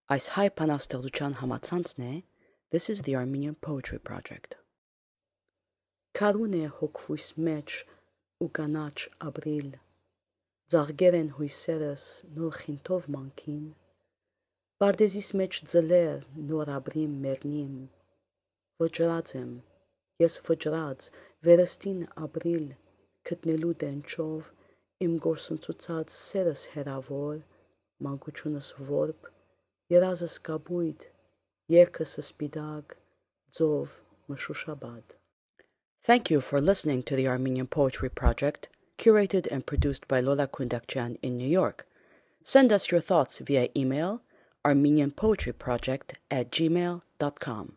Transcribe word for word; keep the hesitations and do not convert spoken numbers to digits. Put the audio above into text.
Այս հայ բանաստեղծության համացանցն է This is the Armenian Poetry Project. Քարուն է հոգվույս մեջ ու կանաչ ապրիլ, ձաղգեր են հույսերս նոր խինթով մանքին, Պարդեզիս մեջ ձլեր նոր ապրիմ մերնիմ, Վճռած եմ, ես վճռած վերստին ապրիլ, Գտնելու տենչով իմ գործընծուցած սերս հեռավոր, Մանկությունս որբ, երազս կապույտ, երկս սպիտակ, ձով մշուշաբադ. Thank you for listening to the Armenian Poetry Project, curated and produced by Lola Kundakjian in New York. Send us your thoughts via email armenian poetry project at gmail dot com.